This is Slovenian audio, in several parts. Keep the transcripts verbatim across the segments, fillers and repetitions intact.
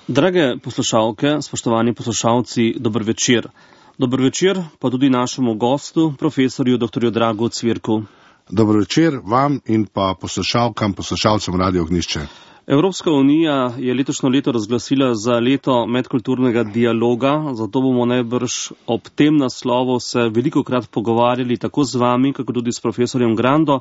Drage poslušalke, spoštovani poslušalci, dober večer. Dober večer pa tudi našemu gostu, profesorju doktorju Dragu Cvirku. Dober večer vam in pa poslušalkam, poslušalcem Radio Ognjišče. Evropska unija je letošnjo leto razglasila za leto medkulturnega dialoga, zato bomo najbrž ob tem naslovu se velikokrat pogovarjali tako z vami, kako tudi s profesorjem Grando.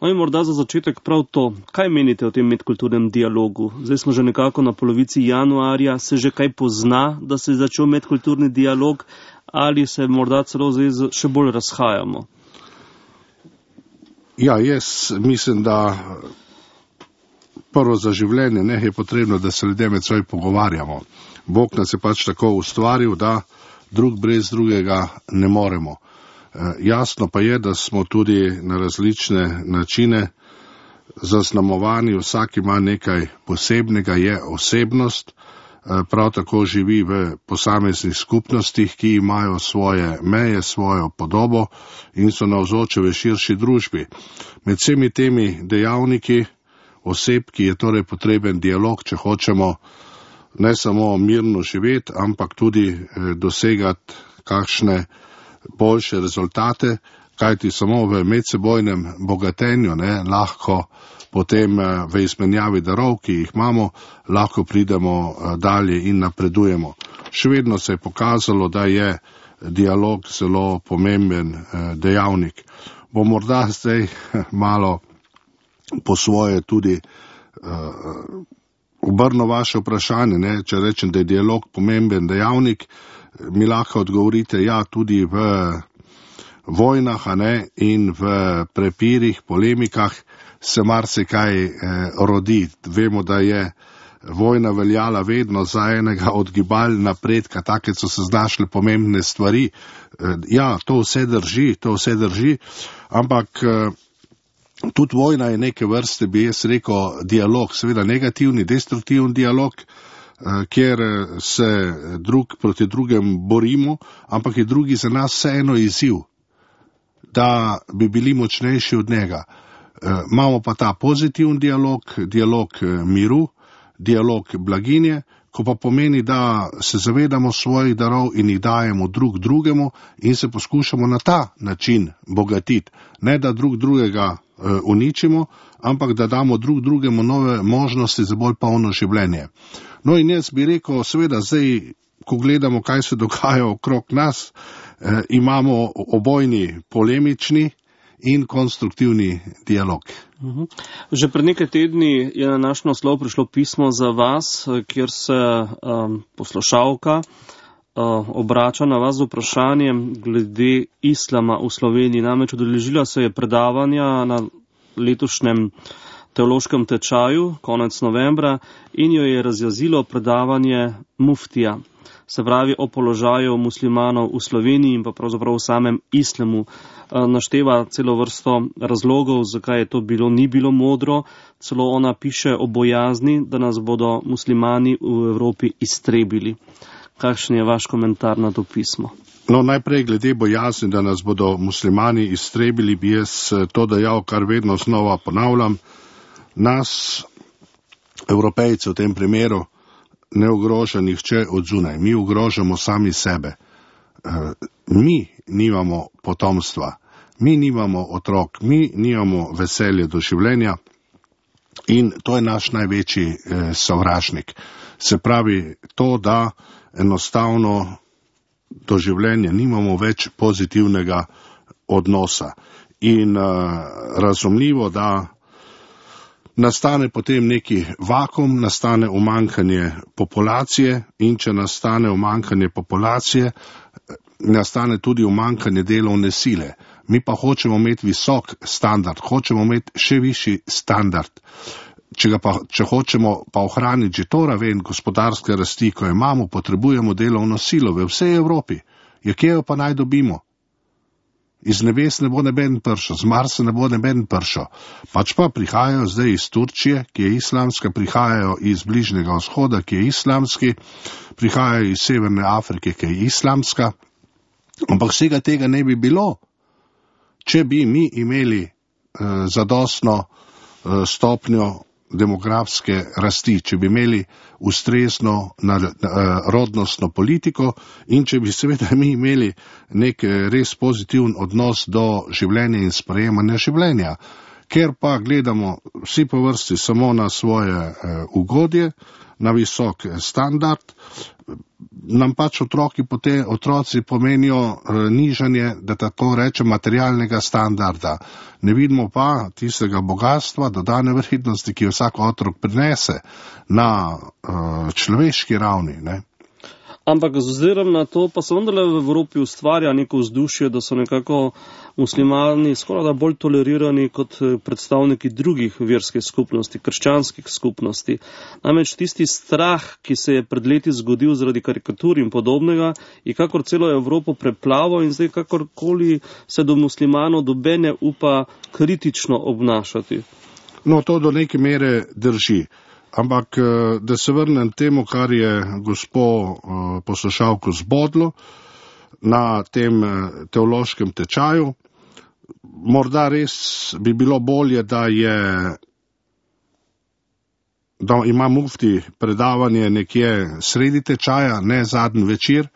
No in morda za začetek prav to, kaj menite o tem medkulturnem dialogu? Zdaj smo že nekako na polovici januarja, se že kaj pozna, da se je začel medkulturni dialog, ali se morda celo zdaj še bolj razhajamo? Ja, jaz mislim, da prvo za življenje ne je potrebno, da se ljudje med seboj pogovarjamo. Bog nas je pač tako ustvaril, da drug brez drugega ne moremo. Jasno pa je, da smo tudi na različne načine zaznamovani, vsak ima nekaj posebnega, je osebnost, prav tako živi v posameznih skupnostih, ki imajo svoje meje, svojo podobo in so navzoče v širši družbi. Med vsemi temi dejavniki oseb, ki je torej potreben dialog, če hočemo ne samo mirno živeti, ampak tudi dosegati kakšne boljše rezultate, kajti samo v medsebojnem bogatenju ne, lahko potem v izmenjavi darov, ki jih imamo, lahko pridemo dalje in napredujemo. Še vedno se je pokazalo, da je dialog zelo pomemben dejavnik. Bo morda zdaj malo po svoje tudi uh, obrno vaše vprašanje, ne? Če rečem, da je dialog pomemben dejavnik, mi lahko odgovorite, ja, tudi v vojnah, a ne, in v prepirih, polemikah se marsikaj eh, rodi. Vemo, da je vojna veljala vedno za enega od gibal napredka, take so se znašle pomembne stvari. Eh, ja, to vse drži, to vse drži, ampak eh, tudi vojna je neke vrste, bi jaz rekel, dialog, seveda negativni, destruktivni dialog, kjer se drug proti drugem borimo, ampak je drugi za nas vseeno izziv, da bi bili močnejši od njega. Imamo pa ta pozitivni dialog, dialog miru, dialog blaginje, ko pa pomeni, da se zavedamo svojih darov in jih dajemo drug drugemu in se poskušamo na ta način bogatiti. Ne da drug drugega uničimo, ampak da damo drug drugemu nove možnosti za bolj polno življenje. No in jaz bi rekel, seveda zdaj, ko gledamo, kaj se dogaja okrog nas, eh, imamo obojni polemični in konstruktivni dialog. Uhum. Že pred nekaj tedni je na naš naslov prišlo pismo za vas, kjer se um, poslušalka uh, obrača na vas z vprašanjem glede islama v Sloveniji. Namreč udeležila se je predavanja na letošnjem teološkem tečaju, konec novembra, in jo je razjazilo predavanje muftija, se pravi o položaju muslimanov v Sloveniji in pa pravzaprav v samem islamu. Našteva celo vrsto razlogov, zakaj je to bilo, ni bilo modro, celo ona piše o bojazni, da nas bodo muslimani v Evropi iztrebili. Kakšen je vaš komentar na to pismo? No, najprej glede bojazni, da nas bodo muslimani iztrebili, bi jaz to dejal, kar vedno znova ponavljam. Nas, Evropejce v tem primeru, ne ogroža nihče od zunaj. Mi ogrožamo sami sebe. Mi nimamo potomstva, mi nimamo otrok, mi nimamo veselje do življenja in to je naš največji eh, sovražnik. Se pravi to, da enostavno do življenja nimamo več pozitivnega odnosa. In eh, razumljivo, da nastane potem neki vakuum, nastane umanjkanje populacije in če nastane umanjkanje populacije, nastane tudi umanjkanje delovne sile. Mi pa hočemo imeti visok standard, hočemo imeti še višji standard. Če, ga pa, če hočemo pa ohraniti že to raven gospodarske rasti, ko imamo, potrebujemo delovno silo v vsej Evropi. Ja, kje jo pa naj dobimo? Iz nebes ne bo neben pršo, z Marsa ne bo neben pršo. Pač pa prihajajo zdaj iz Turčije, ki je islamska, prihajajo iz Bližnjega vzhoda, ki je islamski, prihajajo iz Severne Afrike, ki je islamska. Ampak vsega tega ne bi bilo, če bi mi imeli eh, zadostno eh, stopnjo demografske rasti, če bi imeli ustrezno na, na, rodnostno politiko in če bi seveda mi imeli nek res pozitiven odnos do življenja in sprejemanja življenja. Ker pa gledamo vsi po vrsti samo na svoje eh, ugodje, na visok standard, nam pač otroki, potem, otroci pomenijo eh, nižanje, da tako rečem, materialnega standarda. Ne vidimo pa tistega bogatstva, dodane vrednosti, ki jo vsak otrok prinese na eh, človeški ravni, ne. Ampak z ozirom na to pa se vendarle v Evropi ustvarja neko vzdušje, da so nekako muslimani skoraj da bolj tolerirani kot predstavniki drugih verskih skupnosti, krščanskih skupnosti. Namreč tisti strah, ki se je pred leti zgodil zaradi karikatur in podobnega, je kakor celo Evropo preplaval in zdaj kakorkoli se do muslimanov dobene upa kritično obnašati. No, to do neke mere drži. Ampak, da se vrnem temu, kar je gospo poslušalko zbodlo na tem teološkem tečaju, morda res bi bilo bolje, da je, da ima mufti predavanje nekje sredi tečaja, ne zadnji večer,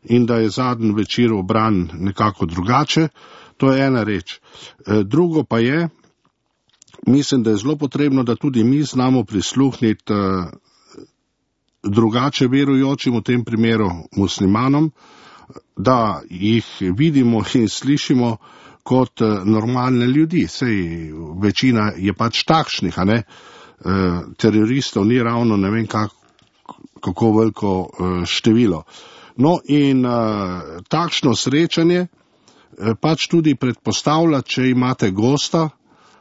in da je zadnji večer obran nekako drugače. To je ena reč. Drugo pa je, mislim, da je zelo potrebno, da tudi mi znamo prisluhniti uh, drugače verujočim, v tem primeru muslimanom, da jih vidimo in slišimo kot uh, normalne ljudi. Sej večina je pač takšnih, a ne? Uh, teroristov ni ravno ne vem kak, kako veliko uh, število. No in uh, takšno srečanje uh, pač tudi predpostavlja, če imate gosta,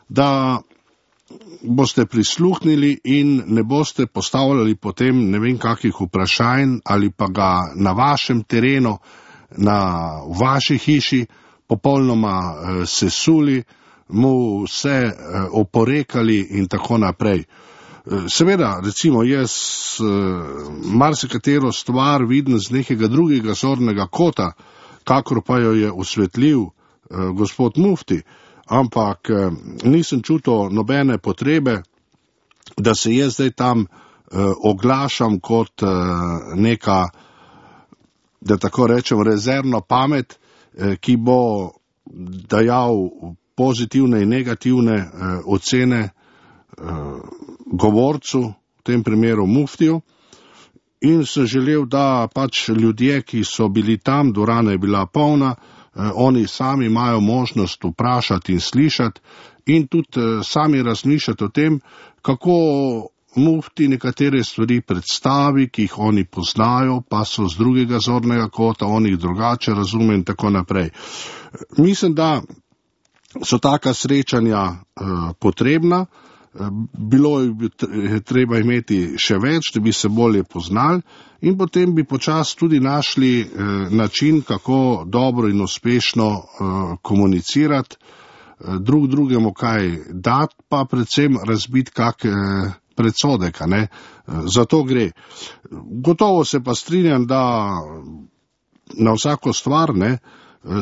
da boste prisluhnili in ne boste postavljali potem ne vem kakih vprašanj ali pa ga na vašem terenu, na vaši hiši popolnoma eh, sesuli, mu vse eh, oporekali in tako naprej. Eh, seveda, recimo, jaz eh, marsikatero stvar vidim z nekega drugega zornega kota, kakor pa jo je osvetlil eh, gospod mufti, ampak eh, nisem čutil nobene potrebe, da se jaz zdaj tam eh, oglašam kot eh, neka, da tako rečem, rezervna pamet, eh, ki bo dajal pozitivne in negativne eh, ocene eh, govorcu, v tem primeru muftiju, in sem želel, da pač ljudje, ki so bili tam, dvorana je bila polna, oni sami imajo možnost vprašati in slišati in tudi sami razmišljati o tem, kako mufti nekatere stvari predstavi, ki jih oni poznajo, pa so z drugega zornega kota, oni jih drugače razume in tako naprej. Mislim, da so taka srečanja uh, potrebna, bilo je treba imeti še več, da bi se bolje poznali in potem bi počasi tudi našli eh, način, kako dobro in uspešno eh, komunicirati, eh, drug drugemu kaj dati, pa predvsem razbiti kak eh, predsodek, ne? Za to gre. Gotovo se pa strinjam, da na vsako stvar, ne,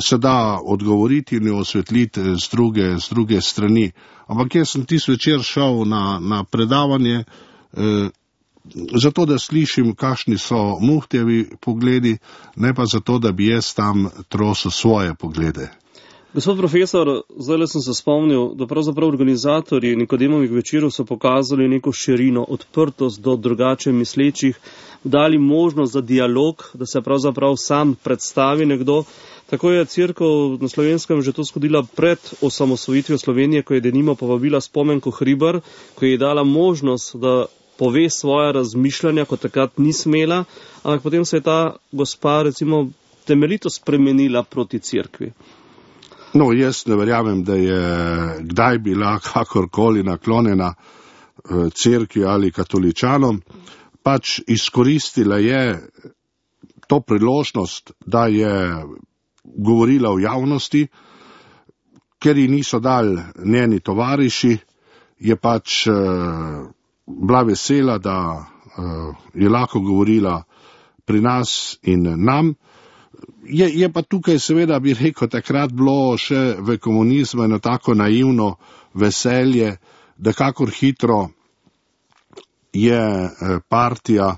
se da odgovoriti in jo osvetliti z druge, z druge strani. Ampak jaz sem tisti večer šel na, na predavanje, eh, zato da slišim, kakšni so muftijevi pogledi, ne pa zato, da bi jaz tam trosil svoje poglede. Gospod profesor, zdaj sem se spomnil, da pravzaprav organizatorji Nikodemovih večerov so pokazali neko širino, odprtost do drugače mislečih, dali možnost za dialog, da se pravzaprav sam predstavi nekdo. Tako je Cerkev na Slovenskem že to zgodila pred osamosvojitvijo Slovenije, ko je denimo povabila Spomenko Hribar, ko je dala možnost, da pove svoja razmišljanja, kot takrat ni smela, ampak potem se je ta gospa recimo temeljito spremenila proti Cerkvi. No, jaz ne verjamem, da je kdaj bila kakorkoli naklonjena Cerkvi ali katoličanom, pač izkoristila je to priložnost, da je govorila v javnosti, ker ji niso dali njeni tovariši, je pač uh, bila vesela, da uh, je lahko govorila pri nas in nam. Je, je pa tukaj seveda, bi rekel, takrat bilo še v komunizmu eno tako naivno veselje, da kakor hitro je partija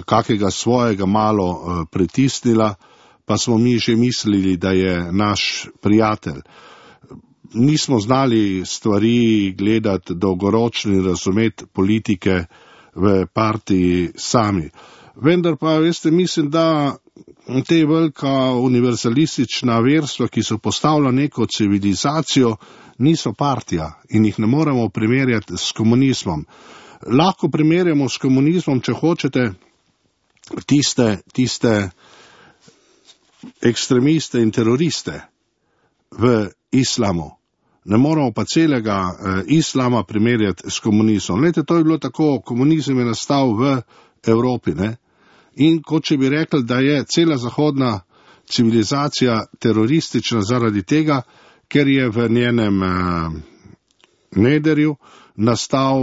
kakega svojega malo pritisnila, pa smo mi že mislili, da je naš prijatelj. Nismo znali stvari gledati dolgoročno in razumeti politike v partiji sami. Vendar pa, veste, mislim, da te velika univerzalistična verstva, ki so postavila neko civilizacijo, niso partija in jih ne moremo primerjati s komunizmom. Lahko primerjamo s komunizmom, če hočete, tiste, tiste ekstremiste in teroriste v islamu. Ne moramo pa celega eh, islama primerjati s komunizmom. Lejte, to je bilo tako, komunizem je nastal v Evropi, ne? In kot če bi rekli, da je cela zahodna civilizacija teroristična zaradi tega, ker je v njenem eh, nederju nastal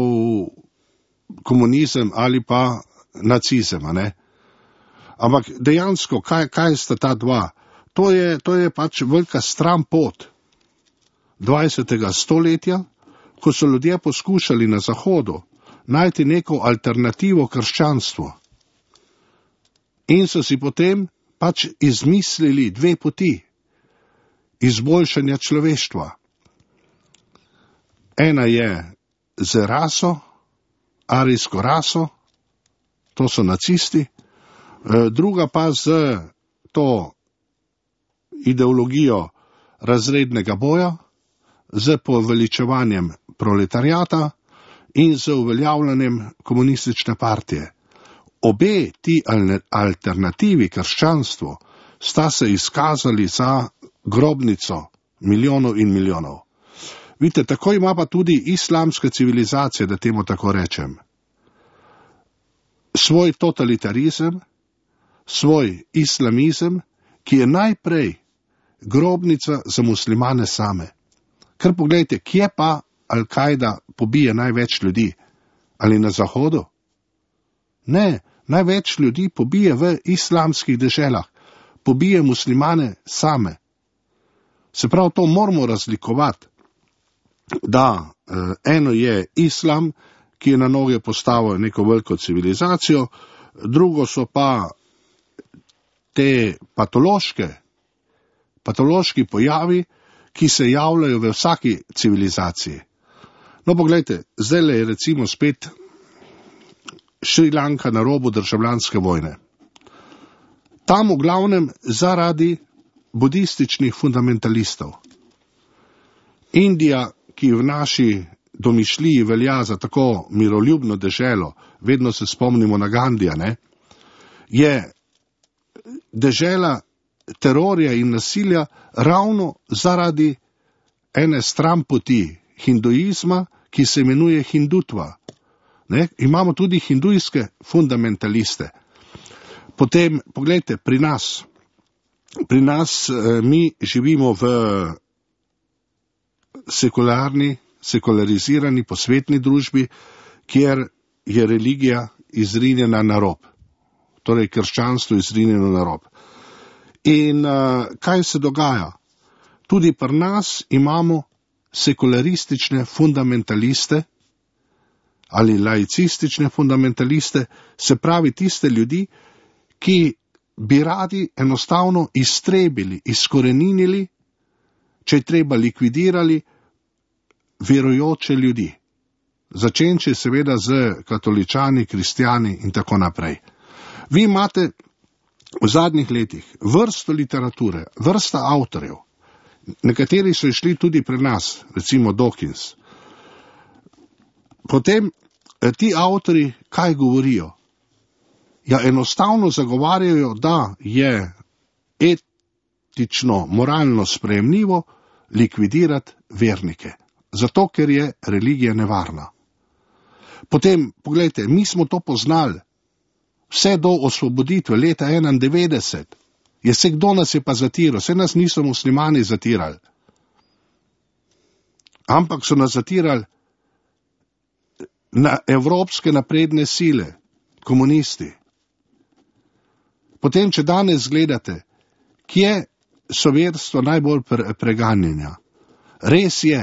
komunizem ali pa nacizem, ne? Ampak dejansko, kaj, kaj sta ta dva? To je, to je pač velika stran pot dvajsetega stoletja, ko so ljudje poskušali na Zahodu najti neko alternativo krščanstvu. In so si potem pač izmislili dve poti izboljšanja človeštva. Ena je z raso, arijsko raso, to so nacisti, druga pa z to ideologijo razrednega boja, z poveličevanjem proletariata in z uveljavljanjem komunistične partije. Obe ti alternativi krščanstvu sta se izkazali za grobnico milijonov in milijonov. Vidite, tako ima pa tudi islamska civilizacija, da temu tako rečem, svoj totalitarizem, svoj islamizem, ki je najprej grobnica za muslimane same. Ker pogledajte, kje pa Al-Kaida pobije največ ljudi? Ali na Zahodu? Ne, največ ljudi pobije v islamskih deželah, pobije muslimane same. Se pravi, to moramo razlikovati, da eh, eno je islam, ki je na noge postavil neko veliko civilizacijo, drugo so pa te patološke, patološki pojavi, ki se javljajo v vsaki civilizaciji. No, pogledajte, zdaj je recimo spet Šrilanka na robu državljanske vojne. Tam v glavnem zaradi budističnih fundamentalistov. Indija, ki v naši domišljiji velja za tako miroljubno deželo, vedno se spomnimo na Gandija, ne, je dežela terorja in nasilja ravno zaradi ene stranpoti hinduizma, ki se imenuje hindutva. Ne? Imamo tudi hindujske fundamentaliste. Potem, pogledajte, pri nas, pri nas eh, mi živimo v sekularni, sekularizirani, posvetni družbi, kjer je religija izrinjena na rob. Torej, krščanstvo izrinjeno na rob. In uh, kaj se dogaja? Tudi pri nas imamo sekularistične fundamentaliste ali laicistične fundamentaliste, se pravi tiste ljudi, ki bi radi enostavno iztrebili, izkoreninili, če je treba likvidirali verujoče ljudi. Začenči seveda z katoličani, kristjani in tako naprej. Vi imate v zadnjih letih vrsto literature, vrsta avtorjev, nekateri so išli tudi pri nas, recimo Dawkins. Potem ti avtori kaj govorijo? Ja, enostavno zagovarjajo, da je etično, moralno sprejemljivo likvidirati vernike, zato ker je religija nevarna. Potem, pogledajte, mi smo to poznali vse do osvoboditve leta enaindevetdeset. Je se kdo nas je pa zatiral, vse nas niso muslimani zatirali. Ampak so nas zatirali na evropske napredne sile, komunisti. Potem, če danes gledate, kje so verstva najbolj pre- preganjanja. Res je,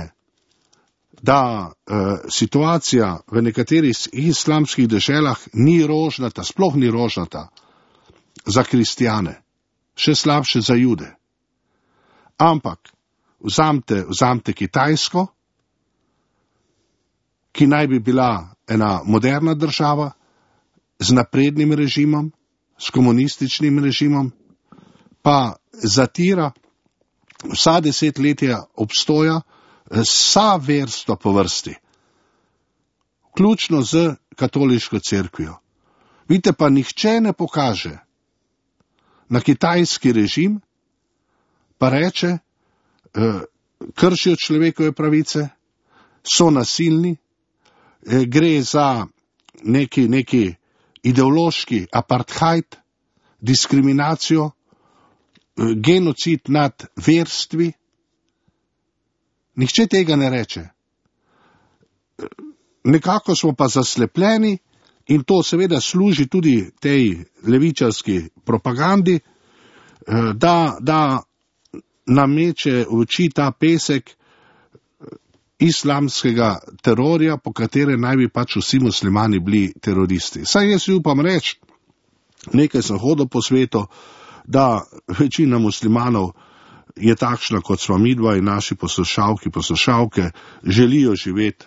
da uh, situacija v nekaterih islamskih deželah ni rožnata, sploh ni rožnata za kristjane, še slabše za jude. Ampak vzamte, vzamte Kitajsko, ki naj bi bila ena moderna država z naprednim režimom, s komunističnim režimom, pa zatira vsa desetletja obstoja vsa verstva po vrsti, vključno z katoliško cerkvijo. Vidite, pa nihče ne pokaže na kitajski režim, pa reče, kršijo človekove pravice, so nasilni, gre za neki, neki ideološki apartheid, diskriminacijo, genocid nad verstvi. Nihče tega ne reče. Nekako smo pa zaslepljeni in to seveda služi tudi tej levičarski propagandi, da, da nameče v oči ta pesek islamskega terorja, po katere naj bi pač vsi muslimani bili teroristi. Saj jaz upam reči, nekaj sem hodil po svetu, da večina muslimanov je takšna, kot smo midva in naši poslušalki, poslušalke, želijo živeti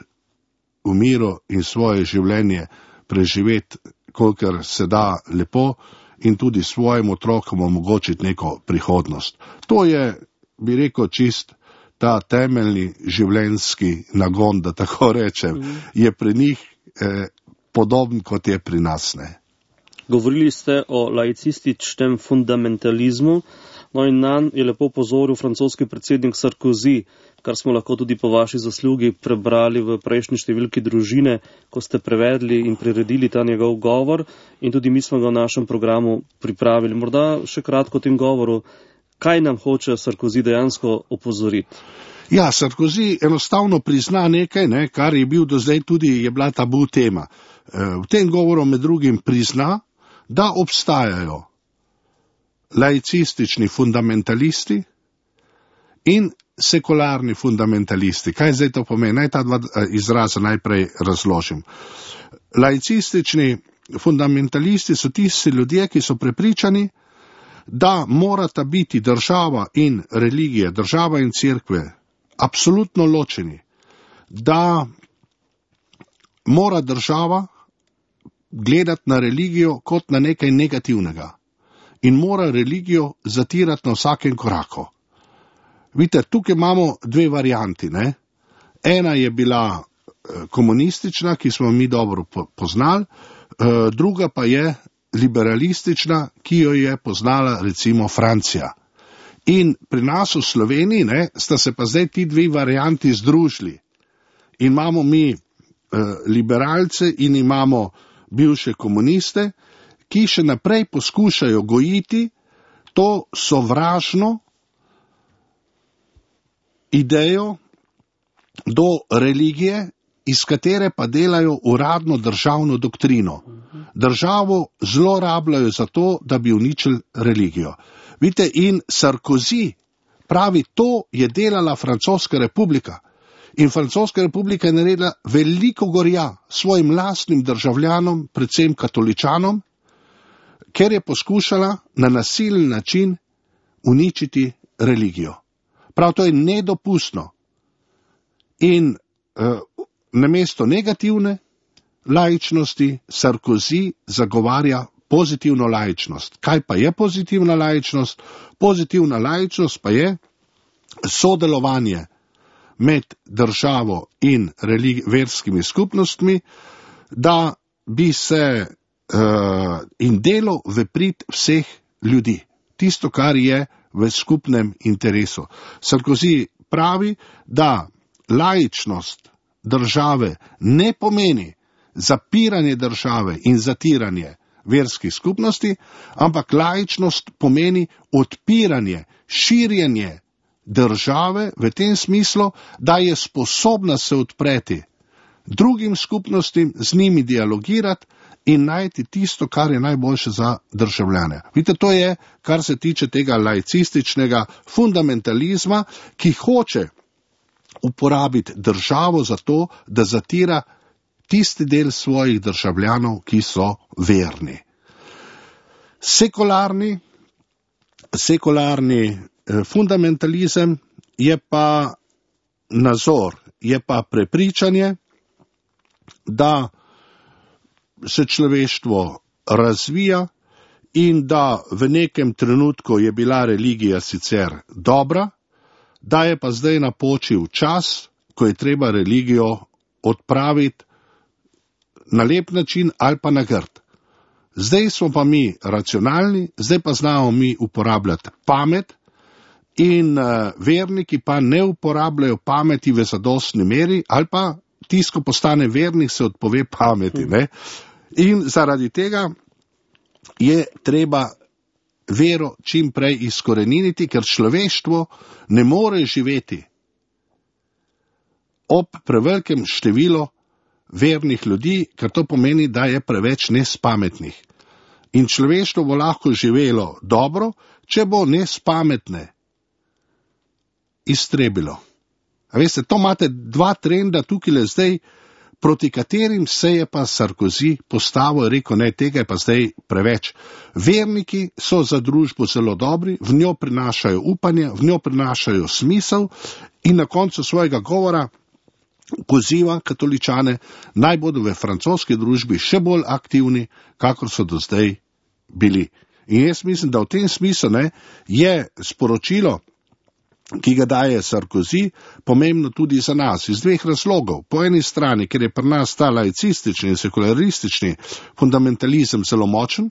v miru in svoje življenje preživeti, kolikor se da lepo in tudi svojim otrokom omogočiti neko prihodnost. To je, bi rekel, čist ta temeljni življenjski nagon, da tako rečem, je pri njih eh, podoben, kot je pri nas, ne. Govorili ste o laicističnem fundamentalizmu, no in nanj je lepo pozoril francoski predsednik Sarkozy, kar smo lahko tudi po vaši zaslugi prebrali v prejšnji številki Družine, ko ste prevedli in priredili ta njegov govor in tudi mi smo ga v našem programu pripravili. Morda še kratko o tem govoru, kaj nam hoče Sarkozy dejansko opozoriti? Ja, Sarkozy enostavno prizna nekaj, ne, kar je bil do zdaj tudi, je bila tabu tema. V tem govoru med drugim prizna, da obstajajo laicistični fundamentalisti in sekularni fundamentalisti. Kaj zdaj to pomeni? Naj ta dva izraza najprej razložim. Laicistični fundamentalisti so tisti ljudje, ki so prepričani, da morata biti država in religija, država in cerkve absolutno ločeni, da mora država gledati na religijo kot na nekaj negativnega in mora religijo zatirati na vsakem koraku. Vidite, tukaj imamo dve varianti, ne? Ena je bila komunistična, ki smo mi dobro poznali, druga pa je liberalistična, ki jo je poznala recimo Francija. In pri nas v Sloveniji, ne, sta se pa zdaj ti dve varianti združili. In imamo mi eh, liberalce in imamo bivše komuniste, ki še naprej poskušajo gojiti to sovražno idejo do religije, iz katere pa delajo uradno državno doktrino. Državo zlorabljajo za to, da bi uničili religijo. Vidite, in Sarkozy pravi, to je delala Francoska republika. In Francoska republika je naredila veliko gorja svojim lastnim državljanom, predvsem katoličanom, ker je poskušala na nasilen način uničiti religijo. Prav to je nedopustno. In uh, namesto negativne laičnosti Sarkozy zagovarja pozitivno laičnost. Kaj pa je pozitivna laičnost? Pozitivna laičnost pa je sodelovanje med državo in religi- verskimi skupnostmi, da bi se uh, in delo v prid vseh ljudi. Tisto, kar je v skupnem interesu. Sarkozy pravi, da laičnost države ne pomeni zapiranje države in zatiranje verskih skupnosti, ampak laičnost pomeni odpiranje, širjenje države v tem smislu, da je sposobna se odpreti drugim skupnostim, z njimi dialogirati in najti tisto, kar je najboljše za državljane. Vidite, to je, kar se tiče tega laicističnega fundamentalizma, ki hoče uporabiti državo za to, da zatira tisti del svojih državljanov, ki so verni. Sekularni, sekularni eh, fundamentalizem je pa nazor, je pa prepričanje, da se človeštvo razvija in da v nekem trenutku je bila religija sicer dobra, da je pa zdaj napočil čas, ko je treba religijo odpraviti na lep način ali pa na grd. Zdaj smo pa mi racionalni, zdaj pa znamo mi uporabljati pamet in uh, verniki pa ne uporabljajo pameti v zadostni meri ali pa tisto, ko postane vernik, se odpove pameti. Ne? In zaradi tega je treba vero čim prej izkoreniniti, ker človeštvo ne more živeti ob prevelikem številu vernih ljudi, ker to pomeni, da je preveč nespametnih. In človeštvo bo lahko živelo dobro, če bo nespametne iztrebilo. A veste, to imate dva trenda tukaj le zdaj, proti katerim se je pa Sarkozy postavil in rekel, ne, tega je pa zdaj preveč. Verniki so za družbo zelo dobri, v njo prinašajo upanje, v njo prinašajo smisel in na koncu svojega govora poziva katoličane, naj bodo v francoski družbi še bolj aktivni, kakor so do zdaj bili. In jaz mislim, da v tem smislu ne, je sporočilo, ki ga daje Sarkozy, pomembno tudi za nas, iz dveh razlogov. Po eni strani, ker je pri nas ta laicistični in sekularistični fundamentalizem zelo močen,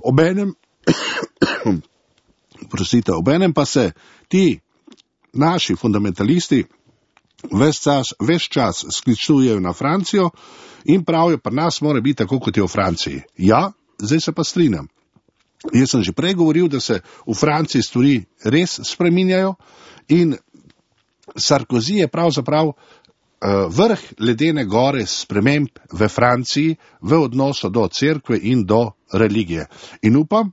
obenem, prosite, obenem pa se ti naši fundamentalisti ves čas, ves čas sklicujejo na Francijo in pravijo, pri nas mora biti tako, kot je v Franciji. Ja, zdaj se pa strinjam. Jaz sem že prej govoril, da se v Franciji stvari res spreminjajo in Sarkozy je pravzaprav uh, vrh ledene gore sprememb v Franciji v odnosu do cerkve in do religije. In upam,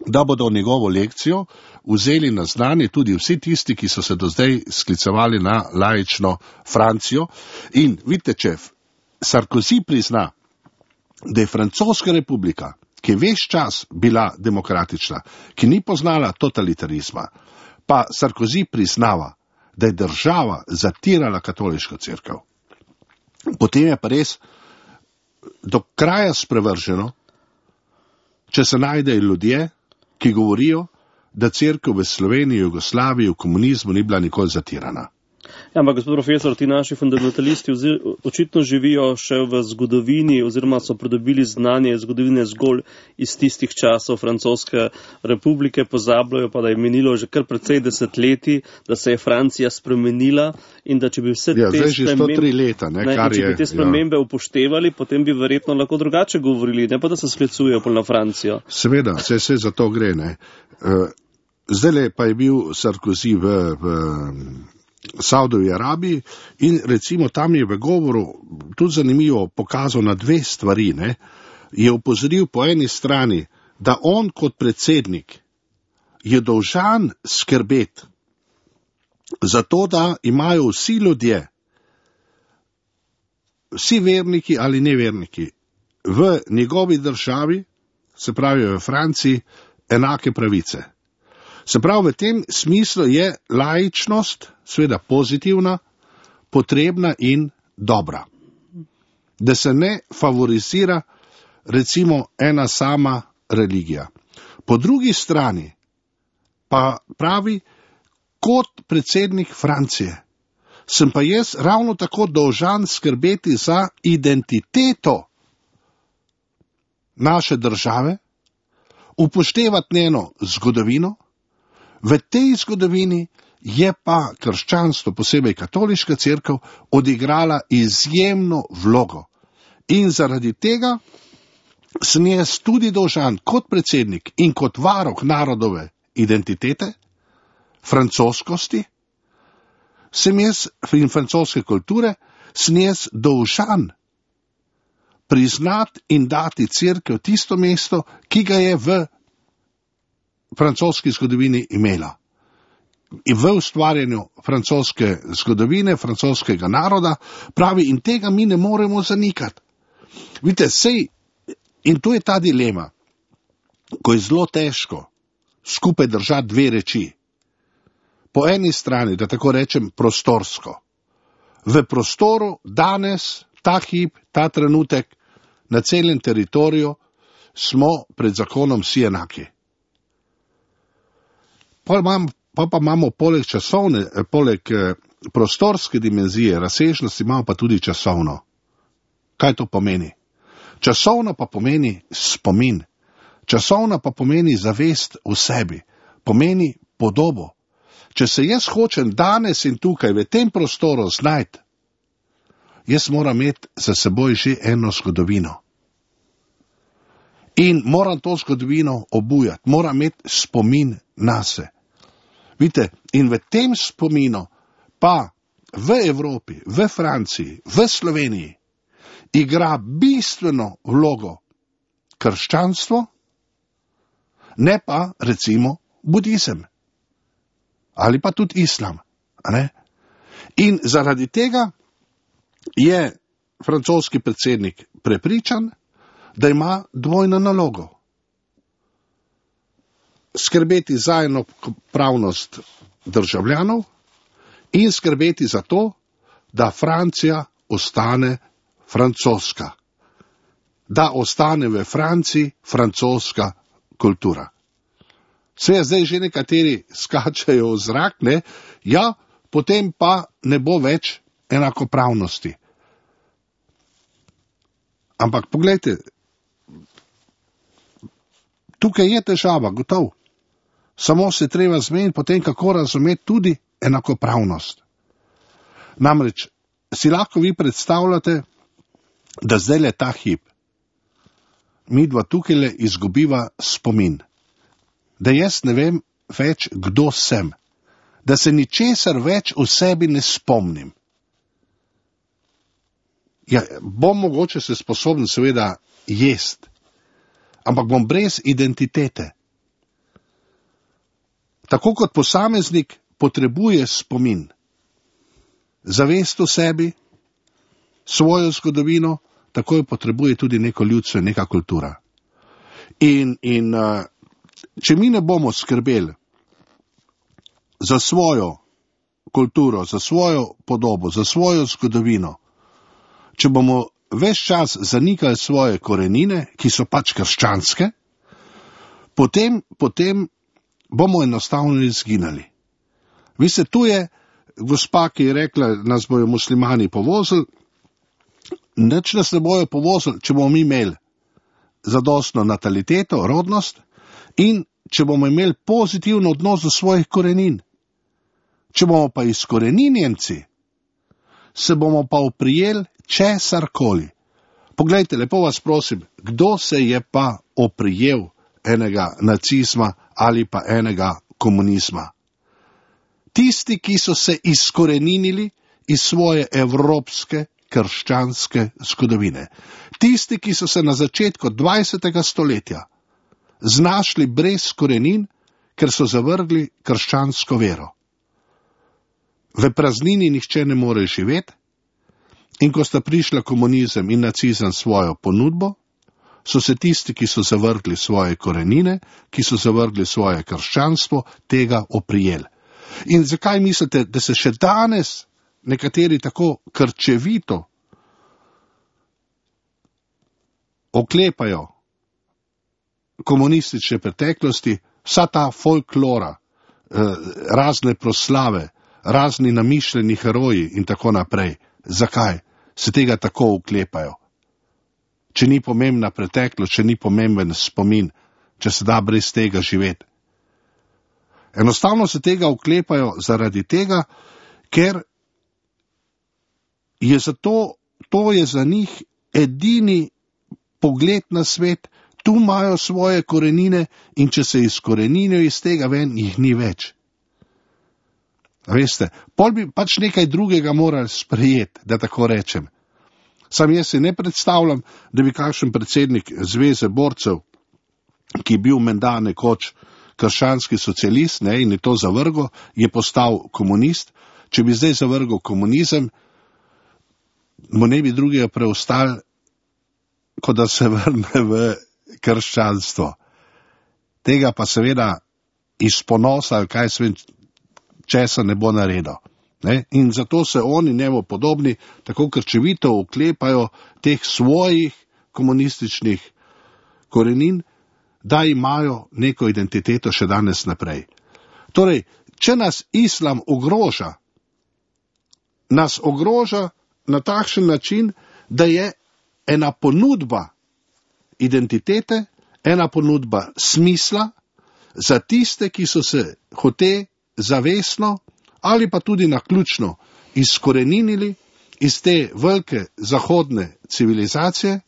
da bodo njegovo lekcijo vzeli na znanje tudi vsi tisti, ki so se do zdaj sklicevali na laično Francijo. In vidite, če Sarkozy prizna, da je Francoska republika, ki je ves čas bila demokratična, ki ni poznala totalitarizma, pa Sarkozy priznava, da je država zatirala katoliško cerkev. Potem je pa res do kraja sprevrženo, če se najdejo ljudje, ki govorijo, da cerkev v Sloveniji, Jugoslaviji, v komunizmu ni bila nikoli zatirana. Ja, ampak gospod profesor, ti naši fundamentalisti očitno živijo še v zgodovini oziroma so pridobili znanje zgodovine zgolj iz tistih časov Francoske republike, pozabljajo pa, da je minilo že kar precej desetletij, da se je Francija spremenila in da če bi vse ja, te, spremembe, leta, ne, ne, kar če bi je, te spremembe ja. upoštevali, potem bi verjetno lahko drugače govorili, ne pa da se sklicujejo pol na Francijo. Seveda, se vse za to gre. Ne. Zdajle pa je bil Sarkozy v, v Saudovi Arabiji in recimo tam je v govoru tudi zanimivo pokazal na dve stvari. Ne. Je upozoril po eni strani, da on kot predsednik je dolžan skrbeti za to, da imajo vsi ljudje, vsi verniki ali neverniki v njegovi državi, se pravi v Franciji, enake pravice. Se pravi, v tem smislu je laičnost, seveda pozitivna, potrebna in dobra. Da se ne favorizira recimo ena sama religija. Po drugi strani pa pravi, kot predsednik Francije, sem pa jaz ravno tako dolžan skrbeti za identiteto naše države, upoštevati njeno zgodovino. V tej zgodovini je pa krščanstvo, posebej katoliška cerkev, odigrala izjemno vlogo. In zaradi tega sem jaz tudi dolžan kot predsednik in kot varuh narodove identitete, francoskosti, sem jaz in francoske kulture, sem jaz dolžan priznati in dati cerkev tisto mesto, ki ga je v francoski zgodovini imela. v ustvarjanju francoske zgodovine, francoskega naroda, pravi, in tega mi ne moremo zanikati. Vidite, sej, in to je ta dilema, ko je zelo težko skupaj držati dve reči. Po eni strani, da tako rečem, prostorsko. V prostoru danes, ta hip, ta trenutek, na celem teritoriju smo pred zakonom vsi enaki. Pa, imam, pa, pa imamo poleg časovne, poleg eh, prostorske dimenzije, razsežnosti, imamo pa tudi časovno. Kaj to pomeni? Časovno pa pomeni spomin. Časovno pa pomeni zavest v sebi. Pomeni podobo. Če se jaz hočem danes in tukaj v tem prostoru znajti, jaz moram imeti za seboj že eno zgodovino. In moram to zgodovino obujati, moram imeti spomin nase. Vidite, in v tem spominu pa v Evropi, v Franciji, v Sloveniji igra bistveno vlogo krščanstvo, ne pa recimo budizem. Ali pa tudi islam. Ne? In zaradi tega je francoski predsednik prepričan, da ima dvojno nalogo. Skrbeti za enakopravnost državljanov in skrbeti za to, da Francija ostane francoska. Da ostane v Franciji francoska kultura. Sve zdaj že nekateri skačajo v zrak, ne? Ja, potem pa ne bo več enakopravnosti. Ampak poglejte, tukaj je težava, gotov. Samo se treba zmeniti potem, kako razumeti tudi enakopravnost. Namreč, si lahko vi predstavljate, da zdaj le ta hip, mi dva tukaj le izgubiva spomin. Da jaz ne vem več, kdo sem, da se ničesar več v sebi ne spomnim. Ja, bom mogoče se sposoben seveda jest, ampak bom brez identitete. Tako kot posameznik potrebuje spomin, zavest o sebi, svojo zgodovino, tako jo potrebuje tudi neko ljudstvo in neka kultura. In, in uh, če mi ne bomo skrbeli za svojo kulturo, za svojo podobo, za svojo zgodovino, če bomo ves čas zanikali svoje korenine, ki so pač krščanske, potem, potem bomo enostavno izginali. Veste, tu je gospa, ki je rekla, nas bojo muslimani povozili, nič nas ne bojo povozili, če bomo mi imeli zadostno nataliteto, rodnost, in če bomo imeli pozitiven odnos do svojih korenin. Če bomo pa izkoreninjenci, se bomo pa oprijeli česarkoli. Poglejte, lepo vas prosim, kdo se je pa oprijel enega nacizma ali pa enega komunizma? Tisti, ki so se izkoreninili iz svoje evropske, krščanske zgodovine. Tisti, ki so se na začetku dvajsetega stoletja znašli brez korenin, ker so zavrgli krščansko vero. V praznini nihče ne more živeti, in ko sta prišla komunizem in nacizem svojo ponudbo, so se tisti, ki so zavrgli svoje korenine, ki so zavrgli svoje krščanstvo, tega oprijeli. In zakaj mislite, da se še danes nekateri tako krčevito oklepajo komunistične preteklosti, vsa ta folklora, razne proslave, razni namišljeni heroji in tako naprej? Zakaj se tega tako oklepajo? Če ni pomembna preteklost, če ni pomemben spomin, če se da brez tega živeti. Enostavno se tega oklepajo zaradi tega, ker je zato, to je za njih edini pogled na svet, tu imajo svoje korenine in če se izkoreninijo iz tega ven, jih ni več. Veste, pol bi pač nekaj drugega morali sprejeti, da tako rečem. Sam jaz si ne predstavljam, da bi kakšen predsednik Zveze borcev, ki je bil menda nekoč, krščanski socialist, ne, in je to zavrgo, je postal komunist. Če bi zdaj zavrgal komunizem, mu ne bi drugega preostali, kot da se vrne v krščanstvo. Tega pa seveda iz ponosa, ali kaj svem, česa ne bo naredil. Ne? In zato se oni njemu podobni tako krčevito uklepajo teh svojih komunističnih korenin, da imajo neko identiteto še danes naprej. Torej, če nas islam ogroža, nas ogroža na takšen način, da je ena ponudba identitete, ena ponudba smisla za tiste, ki so se hote zavestno ali pa tudi naključno izkoreninili iz te velike zahodne civilizacije,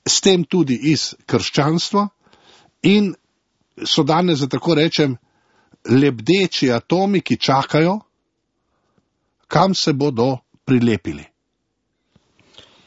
s tem tudi iz krščanstva, in so danes, da tako rečem, lebdeči atomi, ki čakajo, kam se bodo prilepili.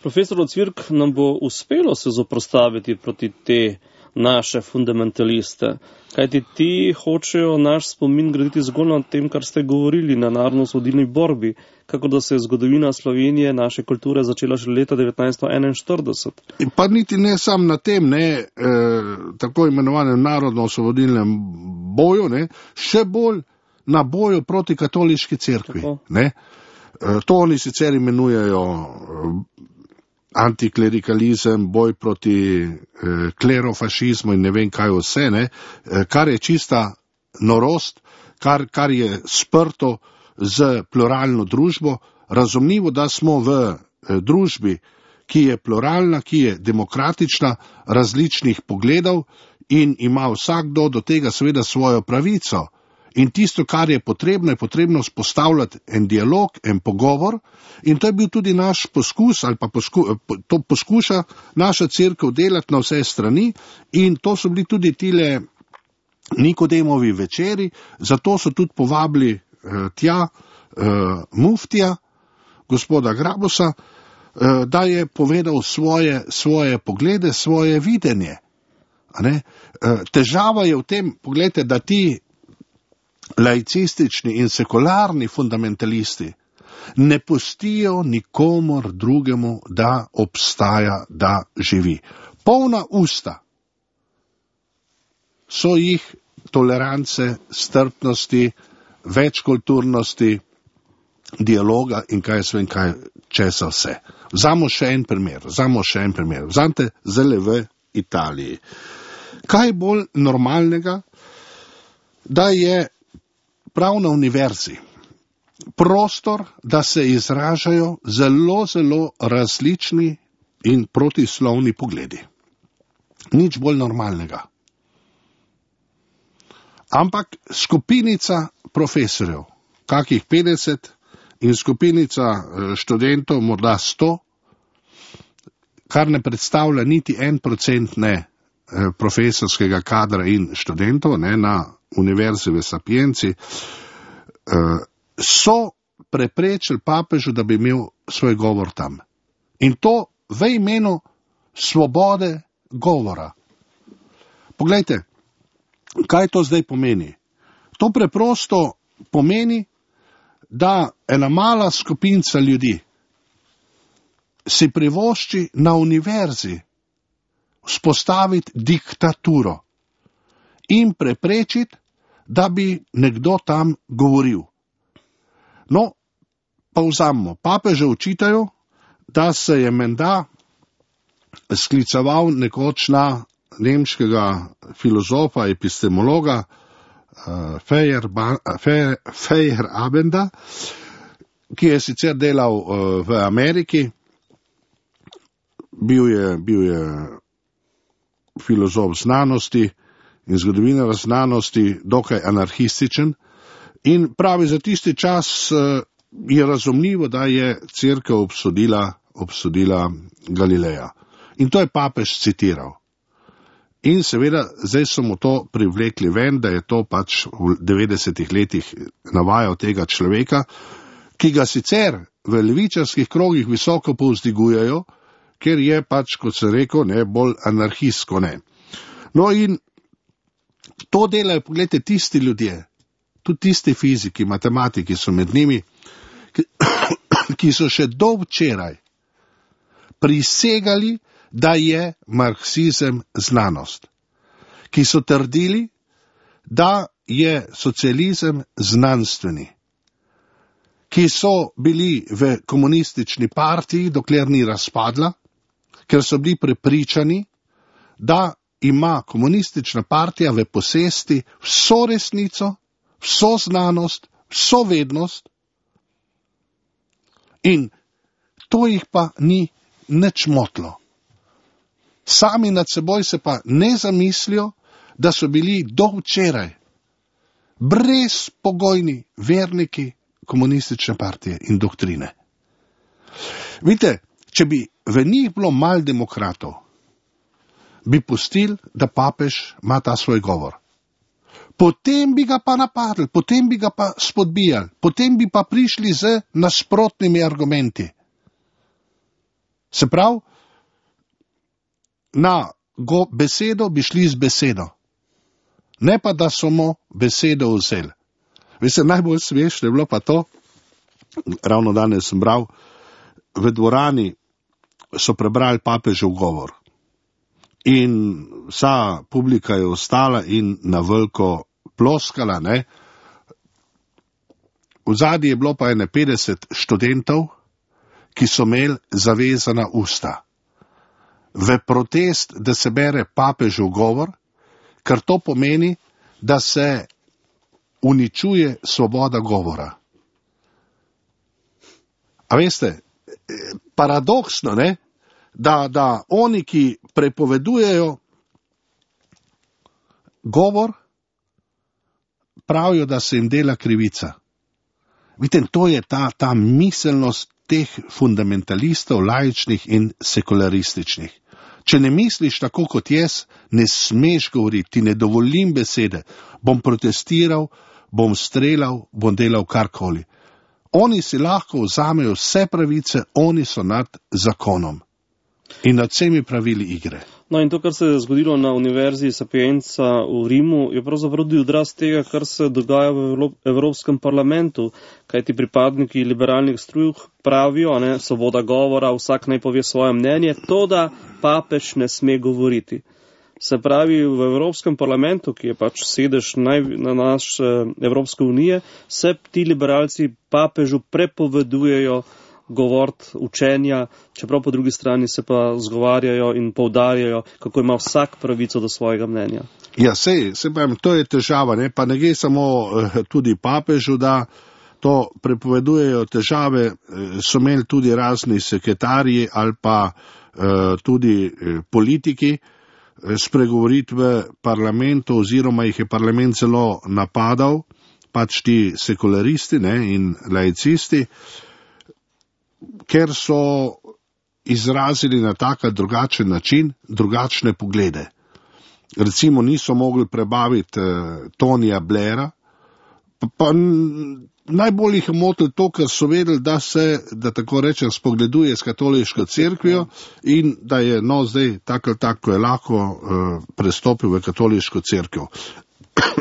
Profesor Ocvirk, nam bo uspelo se zoprostaviti proti te naše fundamentaliste, kajti ti hočejo naš spomin graditi zgolj na tem, kar ste govorili, na narodnoosvobodilni borbi, kako da se je zgodovina Slovenije, naše kulture, začela še leta devetnajststo enainštirideset. Pa niti ne sam na tem, ne, eh, tako imenovanem narodno-osvobodilnem boju, ne, še bolj na boju proti katoliški cerkvi. Ne. Eh, to oni sicer imenujejo eh, antiklerikalizem, boj proti eh, klerofašizmu in ne vem kaj vse, ne, eh, kar je čista norost, kar, kar je sprto z pluralno družbo. Razumljivo, da smo v eh, družbi, ki je pluralna, ki je demokratična, različnih pogledov in ima vsakdo do tega seveda svojo pravico. In tisto, kar je potrebno, je potrebno spostavljati en dialog, en pogovor, in to je bil tudi naš poskus, ali pa posku, to poskuša naša cerkev delati na vse strani, in to so bili tudi tile Nikodemovi večeri, zato so tudi povabili eh, tja eh, muftija, gospoda Grabosa, eh, da je povedal svoje, svoje poglede, svoje videnje. A ne? Eh, težava je v tem, pogledajte, da ti laicistični in sekularni fundamentalisti ne pustijo nikomor drugemu, da obstaja, da živi. Polna usta so jih tolerance, strpnosti, večkulturnosti, dialoga in kaj svem kaj česa vse. Vzamo še en primer, vzamo še en primer. Vzamte zdaj v Italiji. Kaj bolj normalnega, da je prav na univerzi prostor, da se izražajo zelo, zelo različni in protislovni pogledi. Nič bolj normalnega. Ampak skupinica profesorjev, kakih petdeset, in skupinica študentov, morda sto, kar ne predstavlja niti en procent ne profesorskega kadra in študentov, ne, na univerzi v Sapienci, so preprečili papežu, da bi imel svoj govor tam. In to v imenu svobode govora. Poglejte, kaj to zdaj pomeni? To preprosto pomeni, da ena mala skupinca ljudi si privošči na univerzi vzpostaviti diktaturo in preprečiti, da bi nekdo tam govoril. No, pa vzamemo. Papeže učitajo, da se je menda skliceval nekoč na nemškega filozofa, epistemologa uh, Feyerabenda, ki je sicer delal uh, v Ameriki, bil je, bil je filozof znanosti in zgodovinar znanosti, dokaj anarhističen, in pravi, za tisti čas uh, je razumljivo, da je cerkev obsodila, obsodila Galileja. In to je papež citiral. In seveda, zdaj so mu to privlekli ven, da je to pač v devetdesetih letih navajal tega človeka, ki ga sicer v levičarskih krogih visoko povzdigujejo, ker je pač, kot sem rekel, ne, bolj anarhistko, ne. No in To delajo, pogledajte, tisti ljudje, tudi tisti fiziki, matematiki so med njimi, ki, ki so še do včeraj prisegali, da je marksizem znanost, ki so trdili, da je socializem znanstveni, ki so bili v komunistični partiji, dokler ni razpadla, ker so bili prepričani, da ima komunistična partija v posesti vso resnico, vso znanost, vso vednost, in to jih pa ni nič motlo. Sami nad seboj se pa ne zamislijo, da so bili do včeraj brezpogojni verniki komunistične partije in doktrine. Vidite, če bi v njih bilo malo demokratov, bi pustili, da papež ima ta svoj govor. Potem bi ga pa napadli, potem bi ga pa spodbijali, potem bi pa prišli z nasprotnimi argumenti. Se pravi, na go besedo bi šli z besedo, ne pa da so mu besedo vzeli. Veste, najbolj smešno je bilo pa to, ravno danes sem bral, v dvorani so prebrali papežev govor. In vsa publika je ostala in na veliko ploskala, ne. V zadnji je bilo pa ene petdeset študentov, ki so imeli zavezana usta. V protest, da se bere papežev govor, ker to pomeni, da se uničuje svoboda govora. A veste, paradoksno, ne? Da, da oni, ki prepovedujejo govor, pravijo, da se jim dela krivica. Vidite, to je ta, ta miselnost teh fundamentalistov, laičnih in sekularističnih. Če ne misliš tako kot jaz, ne smeš govoriti, ti ne dovolim besede, bom protestiral, bom streljal, bom delal karkoli. Oni si lahko vzamejo vse pravice, oni so nad zakonom in nad vsemi pravili igre. No, in to, kar se je zgodilo na Univerzi Sapienza v Rimu, je pravzaprav tudi odraz tega, kar se dogaja v Evropskem parlamentu, kajti pripadniki liberalnih struj pravijo, ne, svoboda govora, vsak naj pove svoje mnenje, to, da papež ne sme govoriti. Se pravi, v Evropskem parlamentu, ki je pač sedež naj, na naš Evropske unije, se ti liberalci papežu prepovedujejo govoriti učenja, čeprav po drugi strani se pa zgovarjajo in poudarjajo, kako ima vsak pravico do svojega mnenja. Ja, sej, se pravim, to je težava, ne? Pa ne gre samo eh, tudi papežu, da to prepovedujejo težave, eh, so imeli tudi razni sekretarji ali pa eh, tudi eh, politiki eh, spregovoriti v parlamentu, oziroma jih je parlament celo napadal, pač ti sekularisti, ne, in laicisti, ker so izrazili na tak ali drugačen način drugačne poglede. Recimo niso mogli prebaviti eh, Tonija Blaira, pa, pa najbolj jih je motilo to, ker so vedeli, da se, da tako rečem, spogleduje s katoliško cerkvijo in da je, no, zdaj tako ali tako je lahko eh, prestopil v katoliško cerkev.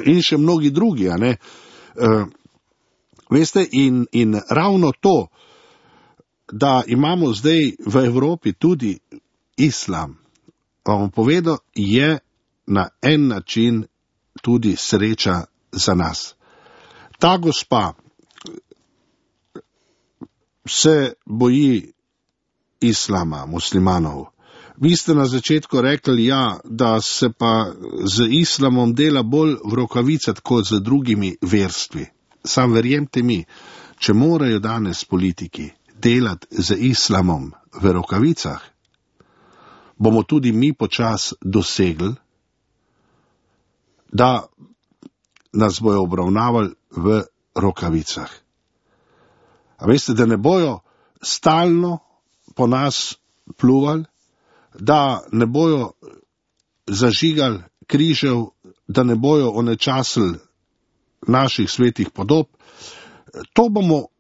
In še mnogi drugi, a ne. Eh, veste, in, in ravno to, da imamo zdaj v Evropi tudi islam, vam povedal, je na en način tudi sreča za nas. Ta gospa se boji islama, muslimanov. Vi ste na začetku rekli, ja, da se pa z islamom dela bolj v rokavicah kot z drugimi verstvi. Sam verjemte mi, če morajo danes politiki delati z islamom v rokavicah, bomo tudi mi počas dosegli, da nas bojo obravnavali v rokavicah. A veste, da ne bojo stalno po nas pluvali, da ne bojo zažigali križev, da ne bojo onečasili naših svetih podob. To bomo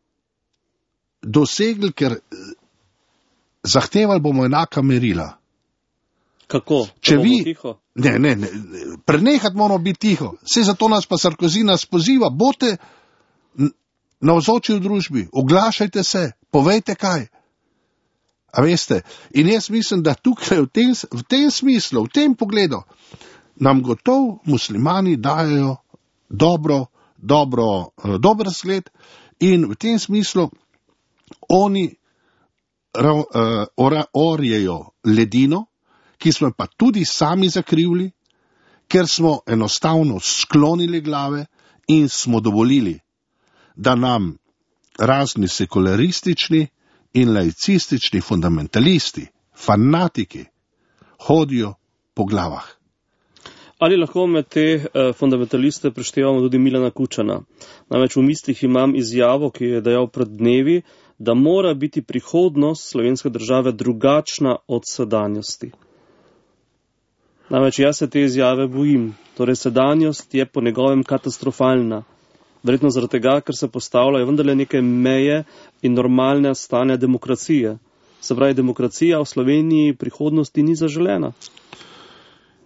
dosegli, ker zahtevali bomo enaka merila. Kako? Če vi, tiho? Ne, ne, ne, prenehati moramo biti tiho. Vse zato nas pa Sarkozy nas poziva, bote navzoči v družbi, oglašajte se, povejte kaj. A veste, in jaz mislim, da tukaj v tem, v tem smislu, v tem pogledu, nam gotov muslimani dajo dobro, dobro, dober zgled in v tem smislu oni uh, ora, orjejo ledino, ki smo pa tudi sami zakrivili, ker smo enostavno sklonili glave in smo dovolili, da nam razni sekularistični in laicistični fundamentalisti, fanatiki, hodijo po glavah. Ali lahko med te eh, fundamentaliste preštevamo tudi Milana Kučana? Namreč v mislih imam izjavo, ki je dejal pred dnevi, da mora biti prihodnost slovenske države drugačna od sedanjosti. Namreč jaz se te izjave bojim. Torej sedanjost je po njegovem katastrofalna. Verjetno zaradi tega, ker se postavljajo vendarle neke meje in normalne stanja demokracije. Se pravi, demokracija v Sloveniji v prihodnosti ni zaželena.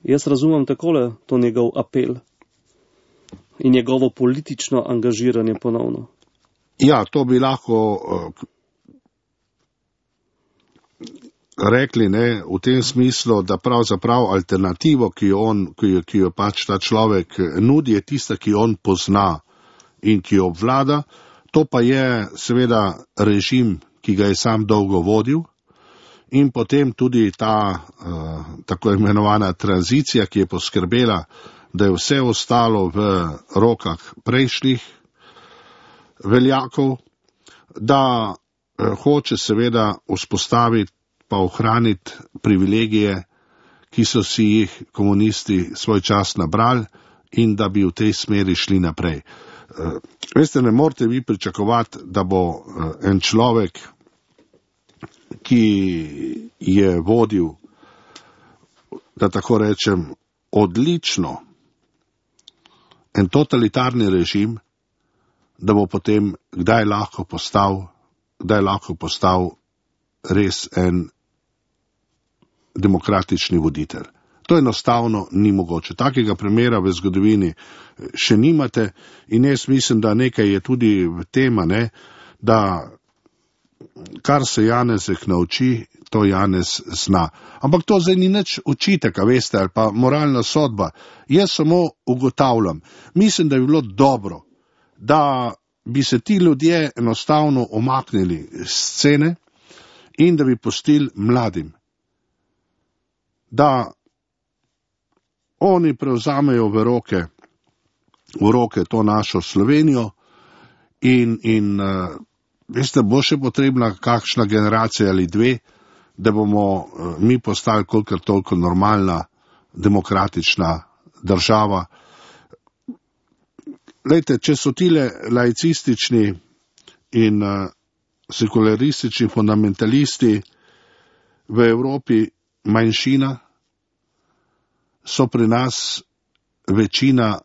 Jaz razumem takole to njegov apel in njegovo politično angažiranje ponovno. Ja, to bi lahko uh, rekli, ne, v tem smislu, da pravzaprav alternativo, ki jo, on, ki jo, ki jo pač ta človek nudi, je tista, ki jo on pozna in ki jo obvlada. To pa je seveda režim, ki ga je sam dolgo vodil. In potem tudi ta uh, tako imenovana tranzicija, ki je poskrbela, da je vse ostalo v rokah prejšnjih veljakov, da uh, hoče seveda vzpostaviti pa ohraniti privilegije, ki so si jih komunisti svoj čas nabrali in da bi v tej smeri šli naprej. Uh, veste, ne morete vi pričakovati, da bo uh, en človek, ki je vodil, da tako rečem, odlično en totalitarni režim, da bo potem kdaj lahko postal, kdaj lahko postal res en demokratični voditelj. To enostavno ni mogoče. Takega primera v zgodovini še nimate in jaz mislim, da nekaj je tudi v tema, ne, da kar se Janezek nauči, to Janez zna. Ampak to zdaj ni nič očitek, veste, ali pa moralna sodba. Jaz samo ugotavljam. Mislim, da bi bilo dobro, da bi se ti ljudje enostavno omaknili z scene in da bi pustili mladim, da oni prevzamejo v roke, v roke to našo Slovenijo in, in uh, veste, bo še potrebna kakšna generacija ali dve, da bomo uh, mi postali kolikor toliko normalna, demokratična država. Lejte, če so tile laicistični in uh, sekularistični fundamentalisti v Evropi manjšina, so pri nas večina,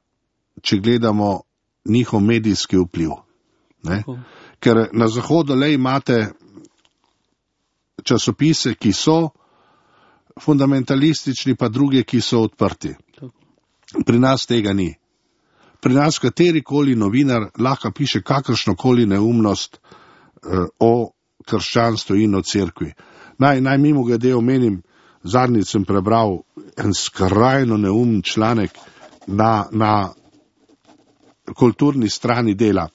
če gledamo njihov medijski vpliv. Ne? Ker na Zahodu le imate časopise, ki so fundamentalistični, pa druge, ki so odprti. Pri nas tega ni. Pri nas katerikoli novinar lahko piše kakršnokoli neumnost uh, o krščanstvu in o cerkvi. Naj, naj mimo glede omenim, zadnjič sem prebral en skrajno neumen članek na, na kulturni strani Dela.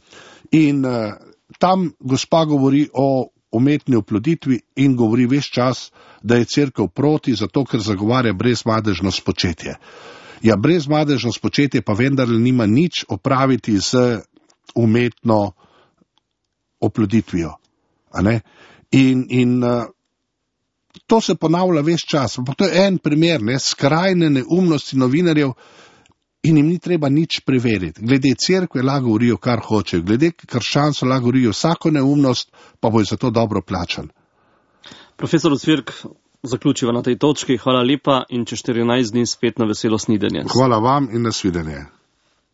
In uh, tam gospa govori o umetni oploditvi in govori ves čas, da je cerkev proti, zato ker zagovarja brezmadežno spočetje. Ja, brezmadežno spočetje pa vendar nima nič opraviti z umetno oploditvijo. A ne? In, in uh, to se ponavlja ves čas. Pa to je en primer, ne, skrajne neumnosti novinarjev in jim ni treba nič preveriti. Glede cerkve lahko govorijo, kar hočejo. Glede krščanstva lahko govorijo vsako neumnost, pa bo za to dobro plačan. Profesor Ocvirk, zaključiva na tej točki. Hvala lepa in čez štirinajst dni spet na veselo snidenje. Hvala vam in nasvidenje.